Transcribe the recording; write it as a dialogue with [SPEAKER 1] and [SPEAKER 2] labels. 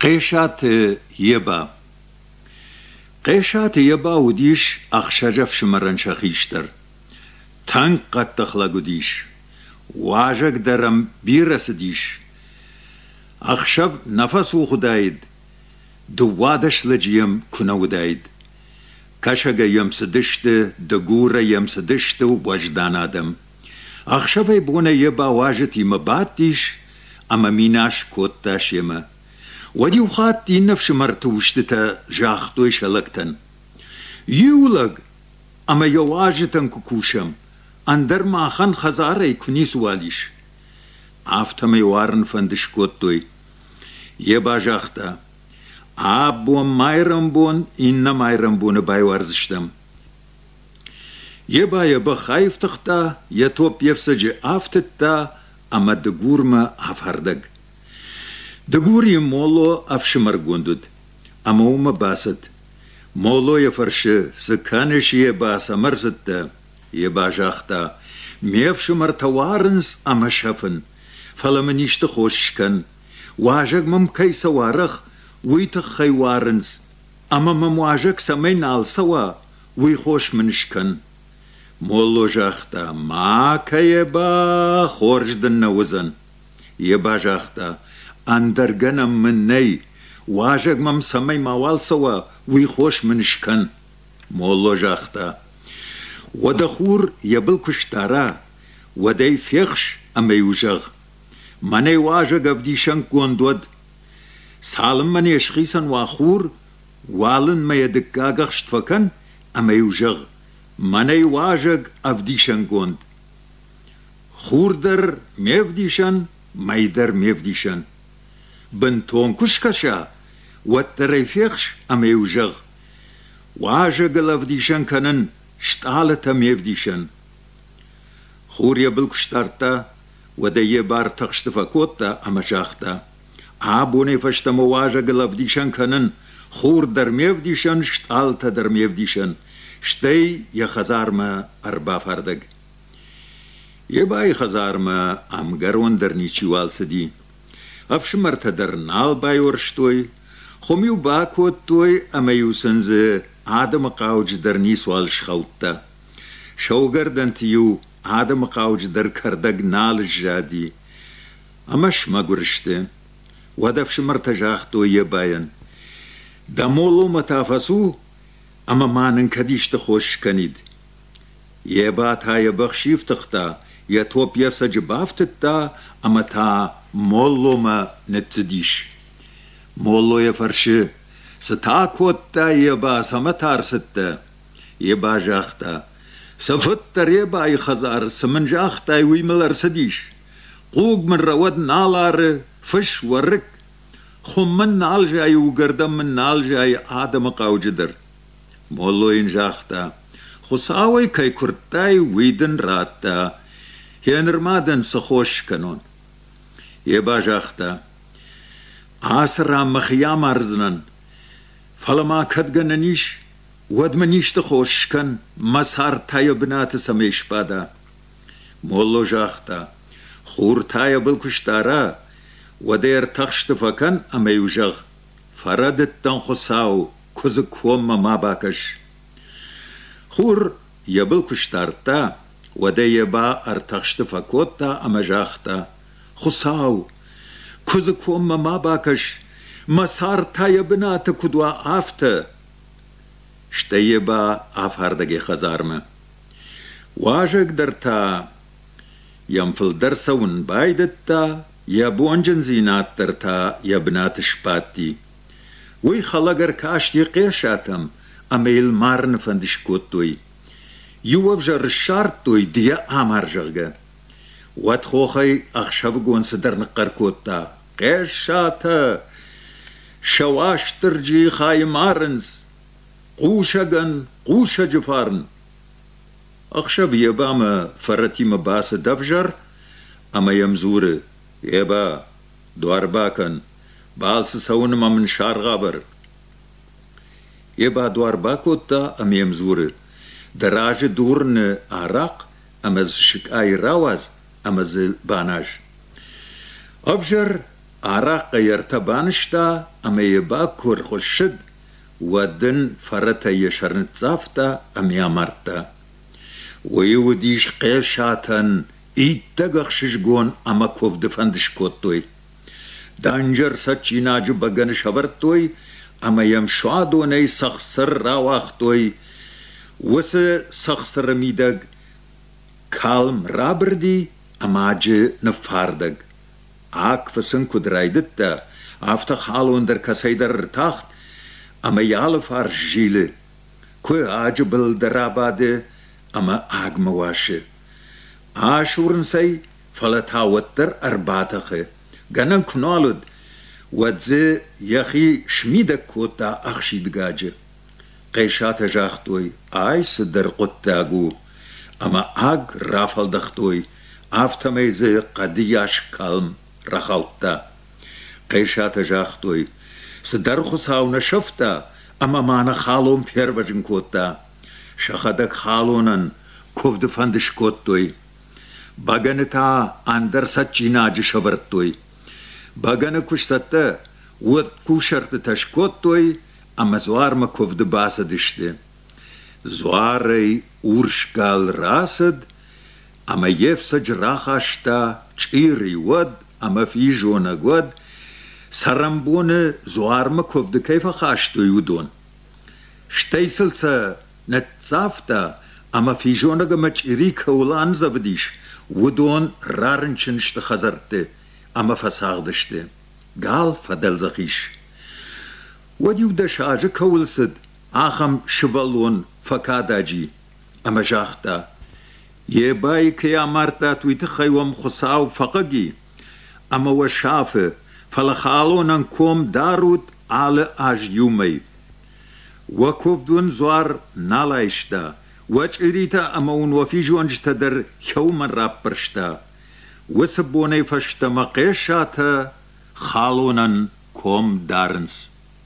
[SPEAKER 1] Хъесаты Еба Хъесаты Еба уыдис ӕхсӕз ӕфсымӕрӕн сӕ хистӕр. Тынг хъӕддых лӕг уыдис. Уазӕг дӕр ӕм бирӕ цыдис. Ӕхсӕв нӕ фӕцух уыдаид, 12 лӕджы йӕм куы нӕ уыдаид. Кӕсӕгӕй йӕм цыдысты, Дыгурӕй йӕм цыдысты уӕздан адӕм. Ӕхсӕвӕй-бонӕй Еба уазджытимӕ бадтис ӕмӕ минас кодта семӕ. Уӕд иу хатт иннӕ фсымӕрты устытӕ загътой сӕ лӕгтӕн: «Иу лӕг ӕмӕ йӕ уазджытӕн куы кусӕм, ӕндӕр махӕн хӕдзарӕй куы ницыуал ис». Афтӕмӕй уарын фӕнд скодтой. Еба загъта: «Абон майрӕмбон, иннӕ майрӕмбоны байуардзыстӕм». Еба йӕ бӕх аифтыгъта, йӕ топп йе фцӕджы афтыдта ӕмӕ Дыгурмӕ афардӕг. Дыгурйы молло ӕфсымӕргонд уыд, ӕмӕ уымӕ бацыд. Молло йӕ фӕрсы, цы кӕныс, Еба, цӕмӕ рцыдтӕ? Еба загъта, ме фсымӕртӕ уарынц ӕмӕ сӕфын, фӕлӕ мын исты хос скӕн. Уазӕг мӕм кӕй цӕуы арӕх, уый тыххӕй уарынц, ӕмӕ мӕм уазӕг цӕмӕй нал цӕуа, уый хос мын скӕн. Молло загъта, ма кӕ, Еба, хорз дын нӕ уыдзӕн. Еба загъта, ӕндӕр гӕнӕн мын нӕй, уазӕг мӕм цӕмӕй мауал цӕуа, уый хос мын скӕн. Молло загъта, уӕдӕ хур йӕ был куы сдара, уӕд ӕй фехс ӕмӕ-иу зӕгъ, мӕнӕй уазӕг ӕвдисӕнгонд уӕд. Цалынмӕ не схицӕн уа хур, уалынмӕ йӕ дыккаг ӕхст фӕкӕн ӕмӕ-иу зӕгъ, мӕнӕй уазӕг ӕвдисӕнгонд. Хур дӕр ме вдисӕн, мӕй дӕр ме вдисӕн. Бынтон куы скӕса, уӕддӕр ӕй фехс ӕмӕ-иу зӕгъ, уазӕгыл ӕвдисӕн кӕнын, стъалытӕ ме вдисӕн. Хур йӕ был куы сдардта, уӕд ӕй йӕ бар тыхсты фӕкодта ӕмӕ загъта: Абонӕй фӕстӕмӕ уазӕгыл ӕвдисӕн кӕнын, хур дӕр ме вдисӕн, стъалытӕ дӕр ме вдисӕн. Стӕй йӕ хӕдзармӕ ӕрбафардӕг. Ебайы хӕдзармӕ ӕмгӕрон дӕр ничиуал цыди. Ӕфсымӕртӕ дӕр нал байуӕрстой, хуым-иу бакодтой ӕмӕ-иу сын дзы адӕмы хъауджыдӕр ницуал схаудта. Саугӕрдӕнты-иу адӕмы хъауджыдӕр кӕрдӕг нал сзади ӕмӕ смӕгуыр сты. Уӕд ӕфсымӕртӕ загътой Ебайӕн: «Дӕ молломӕ та фӕцу ӕмӕ ма нын кӕд исты хос скӕнид». Еба та йӕ бӕх сифтыгъта, йӕ топп йе фцӕджы бафтыдта ӕмӕ та молломӕ ныццыдис. Молло йӕ фӕрсы: «Цы та кодтай, Еба, цӕмӕ та ӕрцыдтӕ?» Еба загъта: «Цы фыддӕр Ебайы хӕдзар, цы мын загътай, уый мыл ӕрцыдис. Хъуг мын рӕуӕд нал ары, фыс, уӕрыкк. Хуым мын нал зайы, уыгӕрдӕн мын нал зайы адӕмы хъауджыдӕр». Молло йын загъта: «Хуыцауӕй кӕй куырдтай, уый дын радта. Гъеныр ма дын цы хос скӕнон?» Еба загъта: «Ацы ран мӕхи амардзынӕн, фӕлӕ ма кӕд гӕнӕн ис, уӕд мын исты хос скӕн, мӕ цард та йӕ бынаты цӕмӕй сбада». Молло загъта: «Хур та йӕ был куы сдара, уӕд ӕй ӕртӕхсты фӕкӕн ӕмӕ-иу зӕгъ: Фӕрӕдыдтӕн, Хуыцау, куыдзы коммӕ ма бакӕс. Хур йӕ был куы сдардта, уӕд ӕй Еба ӕртӕхсты фӕкодта ӕмӕ загъта: Хуыцау, куыдзы коммӕ ма бакӕс, мӕ цард та йӕ бынаты куыд уа, афтӕ. Стӕй Еба афардӕг йӕ хӕдзармӕ. Уазӕг дӕр та йӕм фылдӕр цӕуын байдыдта, йӕ бонджындзинад дӕр та йӕ бынаты сбадти. Уый хӕлӕг ӕркасти Хъесатӕм ӕмӕ йыл марыны фӕнд скодтой. Иу ӕвзӕр ссардтой, ды йӕ амар, зӕгъгӕ. Уӕд хохӕй ӕхсӕвыгон цыдӕр ныхъхъӕр кодта: «Хъесатӕ! Сӕ Уастырджийы хайы марынц! Хъусӕгӕн хъусӕджы фарн!» Ӕхсӕв Ебамӕ фӕрӕтимӕ бацыд ӕвзӕр ӕмӕ йӕм дзуры: «Еба, дуар бакӕн, балцы цӕуынмӕ мын саргъ авӕр. Еба дуар бакодта ӕмӕ йӕм дзуры: Дӕ разы дурыны арахъ ӕмӕ дзы сыкъайы рауадз ӕмӕ дзы баназ. Ӕвзӕр Арахъхъӕй ӕртӕ банызта ӕмӕ йӕ бак куы ӕрхуыссыд, уӕд ын фӕрӕтӕй йӕ сӕр ныццавта ӕмӕ йӕ амардта. Уый уыдис Хъесатӕн иттӕг ӕхсызгон ӕмӕ куывды фӕнд скодтой. Дӕнджер цӕджджинаджы бӕгӕны сӕвӕрдтой ӕмӕ йӕм суадонӕй цӕхцыр рауагътой. Уыцы цӕхцыры мидӕг калм рабырди ӕмӕ аджы ныффардӕг. Аг фыцын куыд райдыдта, афтӕ халон дӕр кӕцӕйдӕр ӕртахт ӕмӕ йӕ алыфарс зилы. Куы аджы был дӕр абады ӕмӕ агмӕ уасы. Асурынц ӕй, фӕлӕ та уӕддӕр ӕрбатӕхы. Гӕнӕн куы нал уыд, уӕд дзы йӕхи смидӕг кодта ӕхсидгӕджы. Хъесатӕ загътой, ай цыдӕр хъуыддаг у, ӕмӕ аг рафӕлдӕхтой, афтӕмӕй дзы хъӕдыйас калм рахаудта. Хъесатӕ загътой, цыдӕр Хуыцау нӕ сӕфта ӕмӕ ма нӕ халон фервӕзын кодта. Сӕхӕдӕг халонӕн куывды фӕнд скодтой. Бӕгӕны та ӕндӕр цӕджджинаджы сӕвӕрдтой. Бӕгӕны куы сцӕттӕ, уӕд кусӕртытӕ скодтой ӕмӕ дзуармӕ куывды бацыдысты. Дзуарӕй урс гал рацыд ӕмӕ йе фцӕджы рахаста чъири уӕд ӕмӕ физонӕг уӕд, цӕрӕнбоны дзуармӕ куывды кӕй фӕхастой, уыдон. Стӕй сыл сӕ ныццавта ӕмӕ физонӕг ӕмӕ чъири кӕуыл андзӕвыдис, уыдон рарынчын сты хӕдзӕртты ӕмӕ фӕцагъды сты. Гал фӕдӕлдзӕх ис. Уӕд иу-дӕс азы кӕуыл цыд, ахӕм сывӕллон фӕкадӕджи ӕмӕ загъта: Ебайы кӕй амардтат, уый тыххӕй уӕм Хуыцау фӕхъыг и ӕмӕ уӕ сафы, фӕлӕ халонӕн ком дарут алы аз иу мӕй. Уӕ куывд уын дзуар нал айста, уӕ чъиритӕ ӕмӕ уын уӕ физонджытӕ дӕр хӕумӕ раппӕрста. Уыцы бонӕй фӕстӕмӕ Хъесатӕ халонӕн ком дарынц.